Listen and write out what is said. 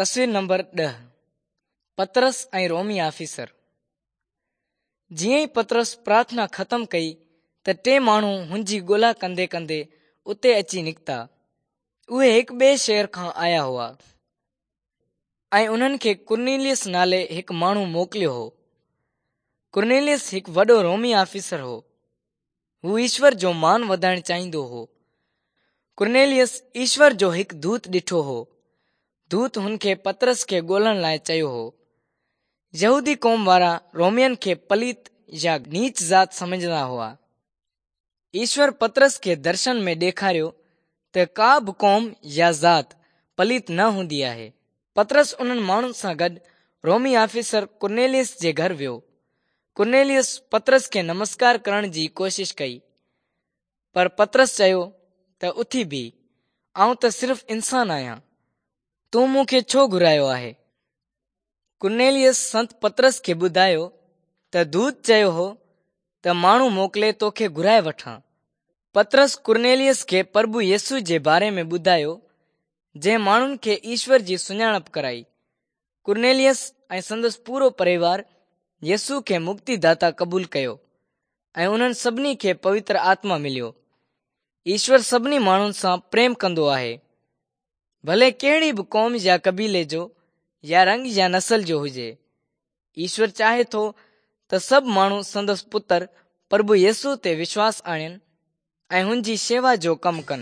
تصوير نمبر 10، پطرس ۽ رومي آفيسر. جيئن ئي پطرس پرارٿنا ختم ڪئي ته ٽي ماڻهو هن جي ڳولا ڪندي ڪندي اتي اچي نڪتا. اهي هڪ ٻئي شهر کان آيا هئا ۽ انهن کي ڪرنيليس نالي هڪ ماڻهو موڪليو هو. ڪرنيليس هڪ وڏو رومي آفيسر هو. هو ايشور جو مان وڌائڻ چاهيندو هو. ڪرنيليس ايشور جو هڪ دوت ڏٺو هو. دوت هن کي پطرس کي ڳولڻ لاء چيو هو. يهودي قوم وارا رومين کي پليت يا نيچ ذات سمجهندا هئا. ايشور پطرس کي درشن ۾ ڏيکاريو ته ڪا به قوم يا ذات پليت نه هوندي آهي. پطرس انهن ماڻهن سان گڏ رومي آفيسر ڪرنيليس جي گهر ويو. ڪرنيليس پطرس کي نمسڪار ڪرڻ جي ڪوشش ڪئي، پر پطرس چيو ته اٿي بيهه، آئون ته صرف انسان آهيان، تون مون کي ڇو گهرايو آهي؟ ڪرنيليس سنت پطرس کي ٻڌايو ته دوت چيو هو ته ماڻهو موڪلي توکي گهرائي وٺان. پطرس ڪرنيليس کي پرڀو يسوع جي باري ۾ ٻڌايو، جنهن ماڻهن کي ايشور جي سڃاڻپ ڪرائي. ڪرنيليس ۽ سندس پورو پريوار يسوع کي مڪتي داتا قبول ڪيو ۽ انهن سڀني کي پوتر آتما مليو. ايشور سڀني ماڻهن سان پريم ڪندو آهي، ڀلي ڪهڙي به قوم يا قبيلي جو يا رنگ يا نسل جو هجي. ايشور چاهي ٿو ته سڀ ماڻهو سندس پتر پرڀو يسوع تي وشواس آڻين ۽ هن جي شيوا جو ڪم ڪن.